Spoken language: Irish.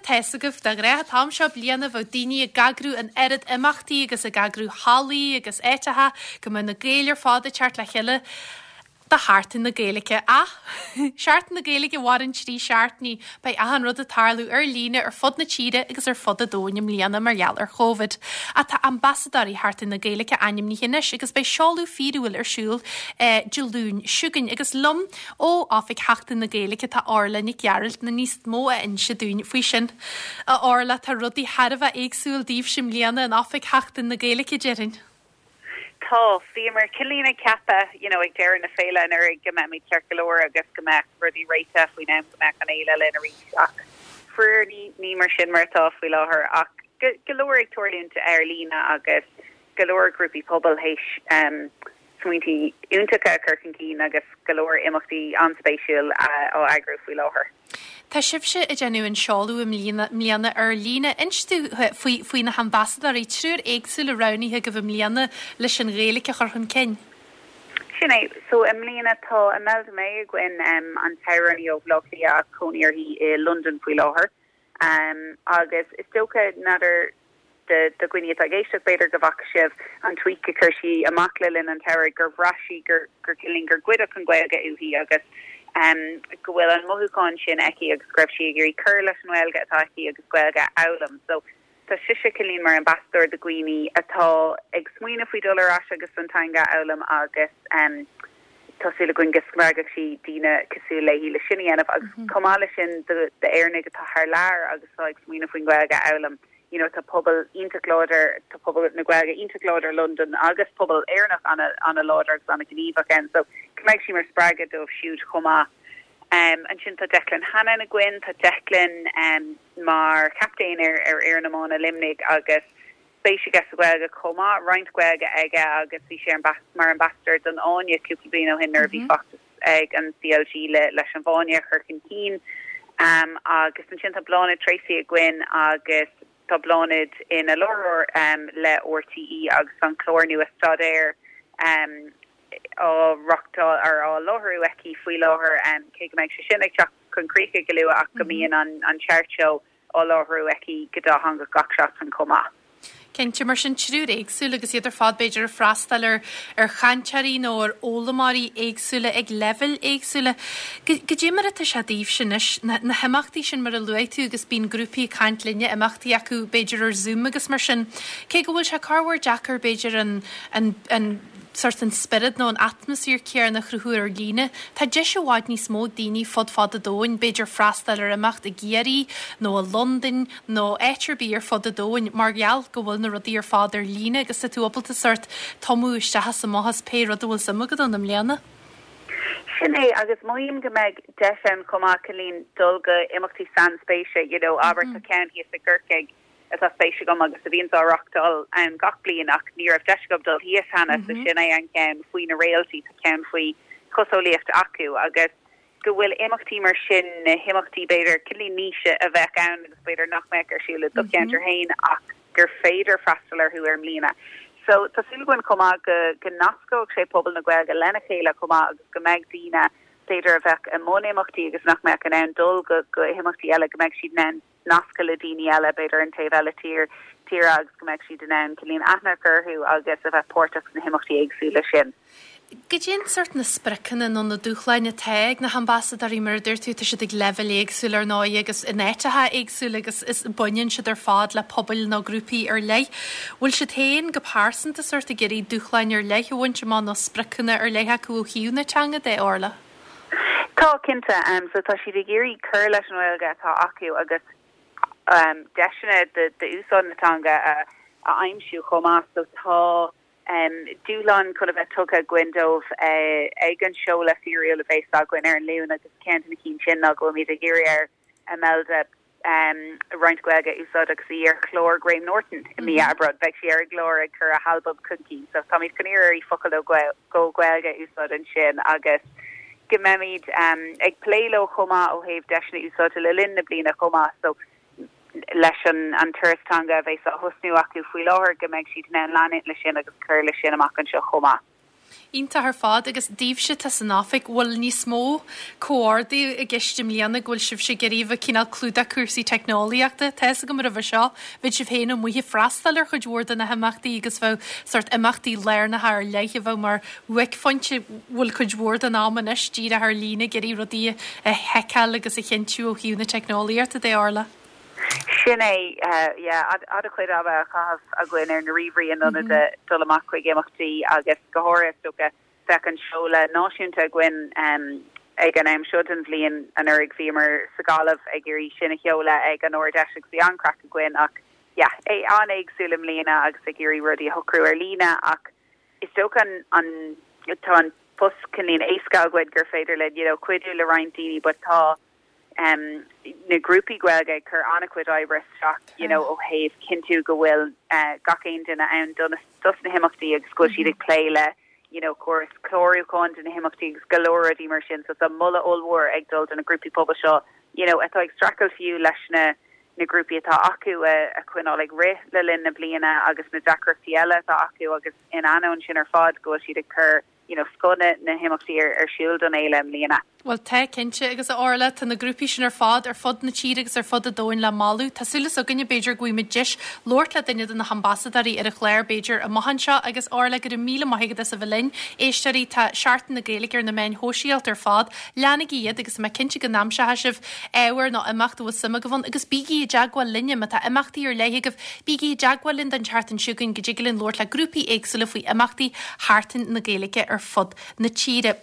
tá's agaibh, de ghnáth an t-am seo bliana bheadh daoine ag eagrú an oiread imeachtaí agus ag eagrú hallaí agus áiteacha go mbeadh na Gaeil ar fad ag teacht le chéile do Sheachtain na Gaeilge. Ach Seachtain na Gaeilge a mhaireann 3 seachtainí, beidh achan rud ag tarlú ar líne ar fud na tíre agus ar fud an domhain i mbliana mar gheall ar Chóvid. Ach tá ambasadóirí Sheachtain na Gaeilge ainmnithe anois agus beidh seoladh fíorúil ar siúl Dé Luain seo chugainn agus liom Ó Oifig Sheachtain na Gaeilge tá Orla Nic Gearailt le níos mó a inse dúinn faoi sin. A Orla, tá rudaí thar a bheith éagsúil daoibhse i mbliana in Oifig Sheachtain na Gaeilge, déarfainn. Tá. Bhíomar cineáilín ag ceapadh, you know, ag deireadh na féile anuraidh go mbeimid ceart go leor agus go mbeadh rudaí réitithe faoin am go mbeadh an fhéile linn arís ach faraor ní, ní mar sin mar atá faoi láthair ach go, go leor ag tarlúint ar líne agus go leor grúpaí pobail théis um, smaointí iontacha a chur chun cinn agus go leor imeachtaí an-spéisiúil á eagrú faoi láthair. Tá sibhse ag déanamh an seoladh i mbliana ar líne. Inis dúinn faoi faoi na hambasadóirí, triúr éagsúla roghnaithe agaibh i mbliana leis an Ghaeilge a chur chun cinn. Sin é. So i mbliana tá Imelda May againn, an t-amhránaí ó Bhaile Átha Cliath ach cónaí uirthi i Londain faoi láthair. Agus is dócha, n'fheadar do dhaoine atá ag éisteacht, b'fhéidir go bhfaca sibh an tweet a chuir sí amach le linn an tsamhraidh gur bhraith sí gur gur cineáilín gur goideadh an Ghaeilge uaithi agus go bhfuil an mothúchán sin aici agus go raibh sí ag iarraidh cur leis an nGaeilge atá aici agus Gaeilge a fhoghlaim. So tá sise cineáilín mar ambasadóir do dhaoine atá ag smaoineamh faoi dul ar ais agus an teanga a fhoghlaim agus tá súil againn go spreagfaidh sí daoine cosúil léi le sin a dhéanamh agus chomh maith leis sin d'Éireannaigh atá thar lear agus atá ag smaoineamh faoin Ghaeilge a fhoghlaim. You know tá pobal iontach láidir, tá pobal na Gaeilge iontach láidir i Londain agus pobal Éireannach an-láidir agus an-ghníomhach ann so go mbeidh sí mar spreagadh dóibh siúd chomh maith. Ansin tá Declan Hannon againn, tá Declan mar chaptaen ar ar fhoireann iomána Luimnigh agus spéis aige sa Ghaeilge chomh maith, roinnt Gaeilge aige agus bhí sé mar ambasadóir don Fháinne cúpla bliain ó shin nuair a bhí feachtas ag an CLG leis an bhFáinne a chur chun cinn. Agus ansin tá Bláthnaid Treacy againn agus tá Bláthnaid ina láithreoir le RTÉ agus an clár nua Staidéar á reachtáil ar á láithriú aici faoi láthair, cé go mbeidh sé sin ag teacht chun críche go luath ach go mbíonn an Chart Show á láithriú aici go dátheangach gach seachtain chomh maith. Cinnte, mar sin, triúr éagsúil agus iad ar fad b'fhéidir ag freastal ar ar chainteoirí nó ar fhoghlaimeoirí éagsúla ag leibhéil éagsúla. Goidé mar atá sé daoibhse anois, na na himeachtaí sin mar a luaigh tú agus bíonn grúpaí ag caint linne, imeachtaí acu b'fhéidir ar Zoom agus mar sin. Cé go bhfuil sé corruair deacair b'fhéidir an an an sórt an spiorad nó an atmaisféar céanna a chruthú ar líne. Tá deis i bhfad níos mó ag daoine fud fad an domhain, b'fhéidir freastal ar imeacht i gCiarraí nó i Londain nó áit ar bith ar fud an domhain mar gheall go bhfuil na rudaí ar fad ar líne agus tá tú ábalta sórt tumadh isteach is amach as pé rud a bhfuil suim agat ann i mbliana. Sin é, agus mothaím go mbeidh deis ann chomh maith, cineáilín, dul go imeachtaí sainspéise, you know, abair tá ceann thíos i gCorcaigh, atá spéis agam agus a bhíonns á reachtáil ann gach bliain ach ní raibh deis agam dul thíos cheana so sin é an ceann faoi na réaltaí, tá ceann faoi choseolaíocht acu agus go bhfuil imeachtaí mar sin, na himeachtaí b'fhéidir cineáilín niche a bheadh ann agus b'fhéidir nach mbeadh ar siúl i do cheantar féin ach gur féidir freastal orthu ar líne. So tá súil againn chomh maith go go nascóidh sé pobal na Gaeilge lena chéile chomh maith agus go mbeidh daoine b'fhéidir a bheadh i mbun imeachtaí agus nach mbeadh in ann dul go go himeachtaí eile go mbeidh siad in ann nascadh le daoine eile, b'fhéidir an taobh eile tír, tíre agus go mbeadh siad in ann cineáilín aithne a chur orthu agus a bheith páirteach sna himeachtaí éagsúla sin. Goidé an sórt na spriocanna nó na dúshláin atá ag na hambasadóirí, mar a dúirt tú, tá siad ag leibhéil éagsúla ar ndóigh agus in áiteacha éagsúla agus is baineann siad ar fad le pobail nó grúpaí ar leith. Bhfuil siad féin go pearsanta sórt ag iarraidh dúshláin ar leith a bhaint amach nó spriocanna ar leith acu ó thaobh na teanga de, Orla? Tá, cinnte. So tá siad ag iarraidh cur leis an nGaeilge atá acu agus deiseanna d'úsáid na teanga a aimsiú chomh maith. So tá dúshlán chun a bheith tugtha againn dóibh ag an seoladh fíorúil a bheas againn ar an Luan agus ceann de na cinn sin ná go bhfuilimid ag iarraidh ar Imelda roinnt Gaeilge a úsáid agus í ar chlár Graham Norton i mí Aibreáin. Beidh sí ar an gclár ag cur a halbam chun cinn so táimid chun iarraidh uirthi focal nó dhó Gaeilge a úsáid ansin agus go mbeimid ag plé leo chomh maith ó thaobh deiseanna úsáide le linn na bliana chomh maith so leis an turas teanga a bheas á thosnú acu faoi láthair go mbeidh siad in ann leanúint leis sin agus cur leis sin amach anseo chomh maith. Iontach ar fad agus daoibhse atá san oifig, bhfuil níos mó comhordú i gceist i mbliana go bhfuil sibhse ag iarraidh a bheith cineál clúdach cúrsaí teicneolaíochta? Tá fhios agam roimhe seo, bheadh sibh féin amuigh ag freastal ar chuid mhór de na himeachtaí agus bheadh sórt imeachtaí lárnacha ar leith a bheadh mar bhuaicphointe. Bhfuil cuid mhór den am anois díreach ar líne ag iarraidh rudaí a sheiceáil agus a chinntiú ó thaobh na teicneolaíochta de, Orla? Sin é, yeah, an-chuid ama á chaitheamh againn ar na ríomhairí in ionad dul amach chuig imeachtaí agus go háirithe is dócha bheadh an seoladh náisiúnta againn ag an am seo den bhliain anuraidh bhíomar sa Ghaillimh ag iarraidh sin a sheoladh ag an Ard-Fheis agus bhí an-chraic againn ach yeah, é an-éagsúil i mbliana agus ag iarraidh rudaí a shocrú ar líne ach is dócha an, an, tá an post cineáilín éasca againn gur féidir linn you know cuidiú le roinnt daoine but tá na grúpaí Gaeilge ag cur an-chuid oibre isteach you know ó thaobh cinntiú go bhfuil gach aon duine ann dos na himeachtaí agus go bhfuil siad ag plé le you know córas clárúcháin do na himeachtaí agus go leor rudaí mar sin so tá moladh ollmhór ag dul do na grúpaí pobail seo you know atá ag streachailt fiú leis na na grúpaí atá acu a a choinneáil ag rith le linn na bliana agus na deacrachtaí eile atá acu agus in ainneoin sin ar fad go bhfuil siad ag cur you know, scoth na himeachtaí ar siúl don fhéile i mbliana. Bhuel, tá, cinnte, agus a Orla, tá na grúpaí sin ar fad ar fud na tíre agus ar fud an domhain le moladh. Tá súil againne, b'fhéidir, go bhfaighimid deis labhairt le duine de na hambasadóirí ar an chlár, b'fhéidir, amach anseo. Agus Orla, go raibh míle maith agat as a bheith linn. Éisteoirí, tá Seachtain na Gaeilge ar na meáin shóisialta ar fad. Leanaigí iad agus tá mé cinnte go n-aimseoidh sibh ábhar nó imeacht a bhfuil suim agaibh ann agus bígí i dteagmháil linne má tá imeachtaí ar leith agaibh. Bígí i dteagmháil linn don tseachtain seo chugainn go dtig linn labhairt le grúpaí éagsúla faoi imeachtaí Sheachtain na Gaeilge ar fud na tíre.